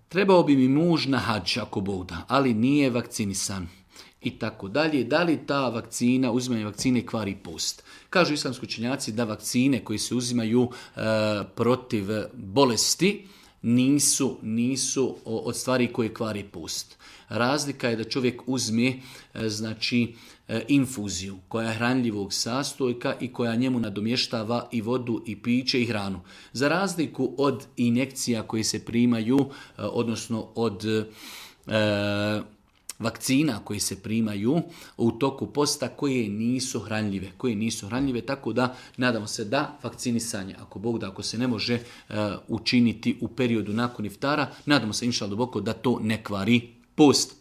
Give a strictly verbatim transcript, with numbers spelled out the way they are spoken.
trebao bi mi muž na hadž ako Bog da, ali nije vakcinisan. I tako dalje. Da li ta vakcina, uzimanje vakcine kvari post? Kažu islamski učenjaci da vakcine koje se uzimaju e, protiv bolesti nisu, nisu od stvari koje kvari post. Razlika je da čovjek uzme e, znači e, infuziju koja je hranljivog sastojka i koja njemu nadomještava i vodu i piće i hranu. Za razliku od injekcija koje se primaju, e, odnosno od e, vakcina koje se primaju u toku posta koje nisu hranljive, koje nisu hranljive, tako da nadamo se da vakcinisanje, ako Bog da, ako se ne može uh, učiniti u periodu nakon iftara, nadamo se inšallah duboko da to ne kvari post.